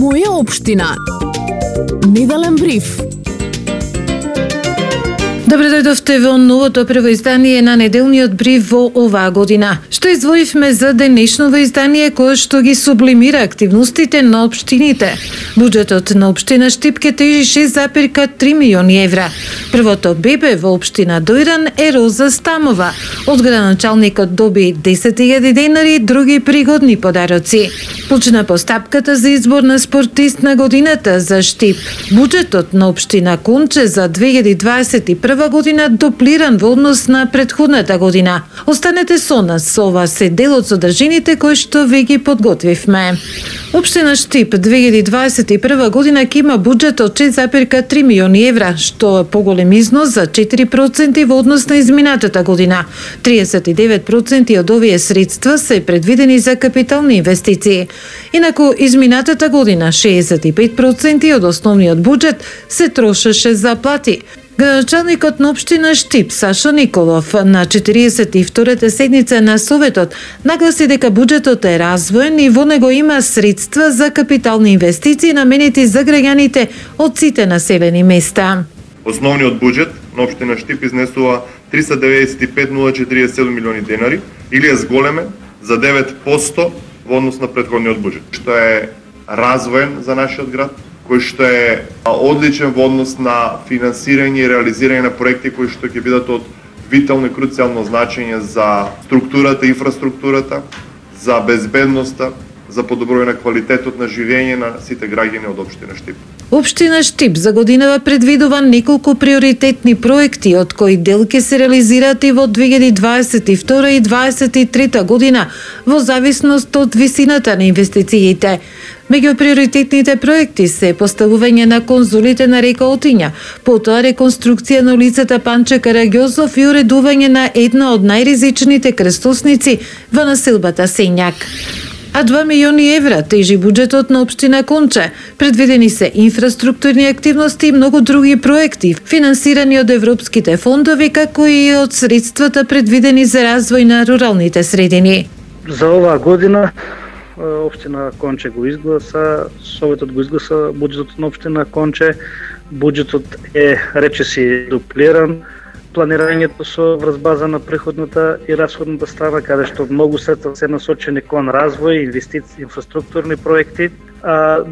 Моја општина. Неделен бриф. Добре дојдовте во новото прво издание на неделниот бриф во оваа година. Што издвоивме за денешново издание кое што ги сублимира активностите на општините. Буџетот на општина Штип ке тежи 6,3 милиони евра. Првото бебе во општина Дојран е Роза Стамова. Од градоначалникот доби 10.000 денари, други пригодни подароци. Почна постапката за избор на спортист на годината за Штип. Буџетот на општина Конче за 2021 година дуплиран во однос на претходната година. Останете со нас, ова се дел од содржините кои што ви ги подготвивме. Општина Штип 2021 година ќе има буџет од 6,3 милиони евра, што е поголем износ за 4% во однос на изминатата година. 39% од овие средства се предвидени за капитални инвестиции. Инаку изминатата година 65% од основниот буџет се трошеше за плати. Градоначалникот на општина Штип Сашо Николов на 42-та седница на Советот нагласи дека буџетот е развоен и во него има средства за капитални инвестиции наменети за граѓаните од сите населени места. Основниот буџет на општина Штип изнесува 395.047 милиони денари или е зголемен за 9% во однос на претходниот буџет, што е развоен за нашиот град, кој што е одличен во однос на финансирање и реализирање на проекти кои што ќе бидат од витално и круцијално значење за структурата, инфраструктурата, за безбедноста, за подобрување на квалитетот на живење на сите граѓани од општина Штип. Општина Штип за годинава предвидува неколку приоритетни проекти, од кои дел ќе се реализираат и во 2022 и 2023 година, во зависност од висината на инвестициите. Меѓу приоритетните проекти се поставување на конзулите на река Отиња, потоа реконструкција на улицата Панче Караѓозов и уредување на една од најризичните крстосници во населбата Сењак. А 2 милиони евра тежи буџетот на општина Конче. Предвидени се инфраструктурни активности и многу други проекти, финансирани од европските фондови, како и од средствата предвидени за развој на руралните средини. За оваа година општина Конче го изгласа, Советот го изгласа буџетот на општина Конче. Буџетот е речиси дуплиран. Планирањето со врз база на приходната и расходната страна, каде што многу средства се насочени кон развој, инвестиции, инфраструктурни проекти.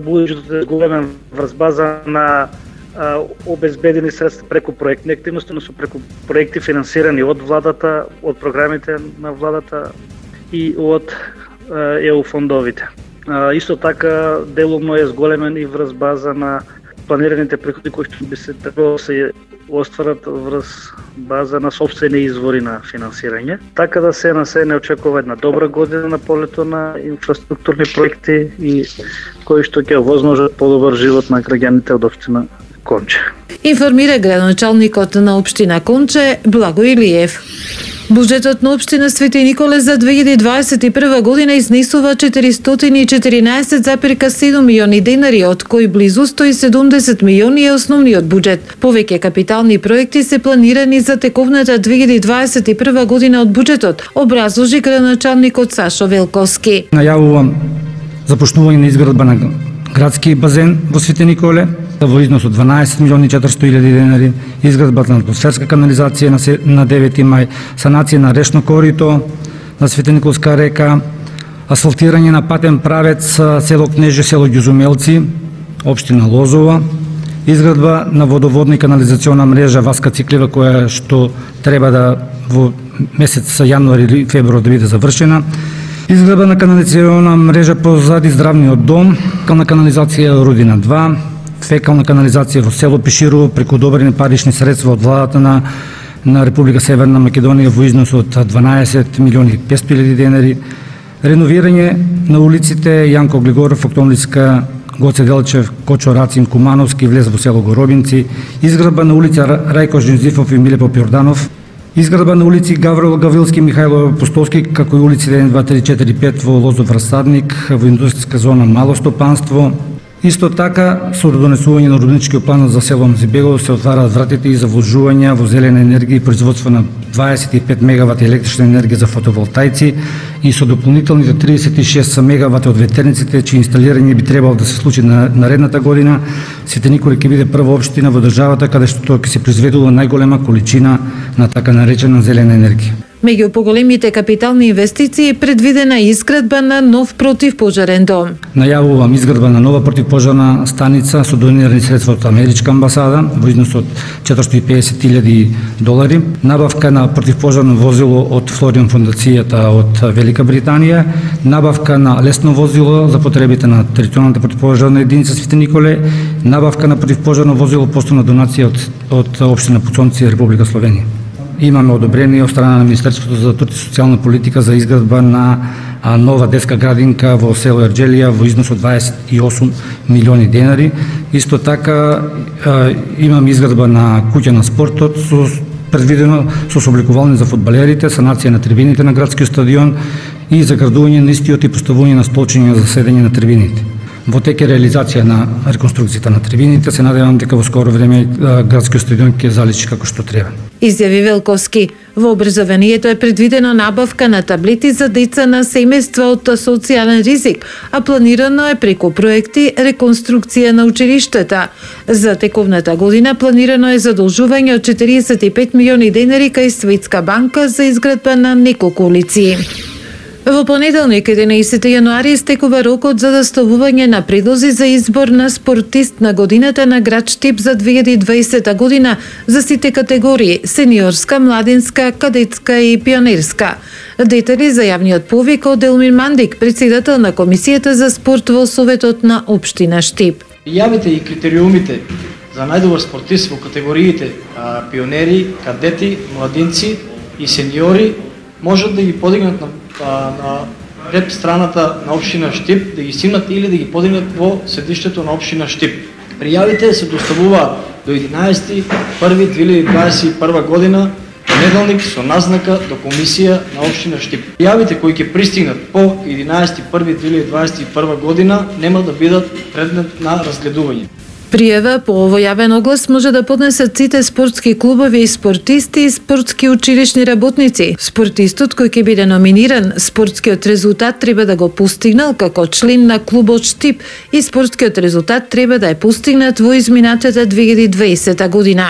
Буџетот е големен врз база на обезбедени средства преку проектни активности, но со преку проекти финансирани од владата, од програмите на владата и од ЕУ фондовите. Исто така делумно е зголемен и врз база на планираните приходи кои што би се требало се остварат врз база на сопствени извори на финансирање. Така да се не очекува една добра година на полето на инфраструктурни проекти и кои што ќе овозможат подобар живот на граѓаните од општина Конче. Информира градоначалникот на општина Конче Благо Илиев. Буџетот на општина Свети Николе за 2021 година изнесува 414,7 милиони денари, од кои близу 170 милиони е основниот буџет. Повеќе капитални проекти се планирани за тековната 2021 година од буџетот, образложи градоначалникот Сашо Велковски. Најавувам започнување на изградба на градски базен во Свети Николе во износ од 12 милиони 400 илјади денари, изградбата на атмосферска канализација на 9 мај, санација на речно корито на Света Николска река, асфалтирање на патен правец село Кнеже, село Ѓузумелци, општина Лозова, изградба на водоводна и канализациона мрежа Васка Циклева, која што треба да во месец јануари или февруари да биде завршена, изградба на канализациона мрежа позади здравниот дом, на канализација Рудина 2, фекална канализација во село Пиширово преку одобрени парични средства од владата на Република Северна Македонија во износ од 12 милиони 500 илјади денари, реновирање на улиците Јанко Глигоров, Октомврска, Гоце Делчев, Кочо Рацин, Кумановски, влез во село Горобинци, изградба на улица Рајко Жинзифов и Миле Попјорданов, изградба на улици Гаврил Гаврилски, Михајло Апостолски, како и улици 1, 2, 3, 4, 5 во Лозов Расадник, во индустријска зона Мало стопанство, Исто така, со донесување на урбаничкиот план за село Мзибегово се отвараат вратите и за вложување во зелена енергија и производство на 25 мегавати електрична енергија за фотоволтаици и со дополнителните 36 мегавати од ветерниците, чии инсталирање би требало да се случи на наредната година. Сите Николи ќе биде прва општина во државата каде што ќе се произведува најголема количина на така наречена зелена енергија. Меѓу поголемите капитални инвестиции е предвидена изградба на нов противпожарен дом. Најавувам изградба на нова противпожарна станица со донирани средства од Америчка амбасада во износ од $450,000, набавка на противпожарно возило од Флориан фондацијата од Велика Британија, набавка на лесно возило за потребите на територијалната противпожарна единица Свети Николе, набавка на противпожарно возило постојна донација од општина Пуцонци, Република Словенија. Имаме одобрение од страна на Министерството за труд и социјална политика за изградба на нова детска градинка во село Ерџелија во износ од $28 милиони. Исто така имаме изградба на куќа на спортот предвидено со собликувални за фудбалерите, санација на трибините на градскиот стадион и заградување на истиот и поставување на столчиња за седење на трибините. Во тек е реализација на реконструкцијата на трибините, се надевам дека во скоро време градскиот стадион ќе заличи како што треба. Изјави Велковски. Во образованието е предвидена набавка на таблети за деца на семејства од социјален ризик, а планирано е преку проекти реконструкција на училиштата. За тековната година планирано е задолжување од $45 милиони кај Светска банка за изградба на неколку улици. Во понеделник, 11 јануари, истекува рокот за доставување на предлози за избор на спортист на годината на град Штип за 2020 година за сите категории – сениорска, младинска, кадетска и пионерска. Детали за јавниот повик од Елмир Мандик, председател на Комисијата за спорт во Советот на општина Штип. Јавите и критериумите за најдобар спортист во категориите пионери, кадети, младинци и сениори можат да ги подигнат на веб страната на општина Штип, да ги снимат или да ги подигнат во седиштето на општина Штип. Пријавите се доставуваат до 11.1.2021 година, понеделник, со назнака до комисија на општина Штип. Пријавите кои ќе пристигнат по 11.1.2021 година нема да бидат предмет на разгледување. Пријава по овој јавен оглас може да поднесат сите спортски клубови и спортисти и спортски училишни работници. Спортистот кој ќе биде номиниран, спортскиот резултат треба да го постигнал како член на клубот Штип и спортскиот резултат треба да е постигнат во изминатата 2020 година.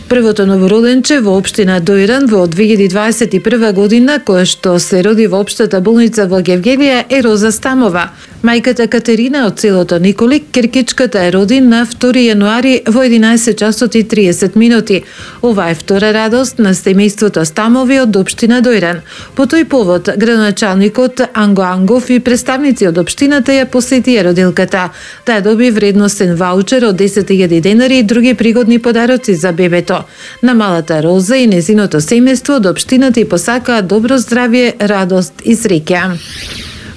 Првото новороденче во општина Дојран во 2021 година, која што се роди во општата болница во Гевгелија, е Роза Стамова. Мајката Катерина од селото Николик, Киркичката, е роди на 2 јануари во 11 часот и 30 минути. Ова е втора радост на семејството Стамови од општина Дојран. По тој повод, градоначалникот Анго Ангов и представници од општината ја посетија родилката. Таа доби вредностен ваучер од $10,000 и други пригодни подароци за бебето. На малата Роза и незиното семејство од општината и посакаа добро здравје, радост и среќа.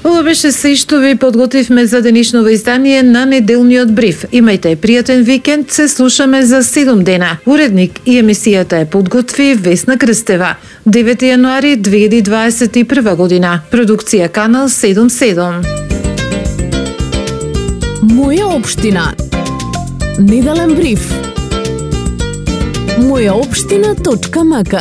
Ова беше се што ви подготвивме за денешново издание на неделниот бриф. Имајте пријатен викенд, се слушаме за 7 дена. Уредник и емисијата е подготви Весна Крстева. 9 јануари 2021 година. Продукција Канал 77. Моја општина. Неделен бриф. Мојаопштина.мк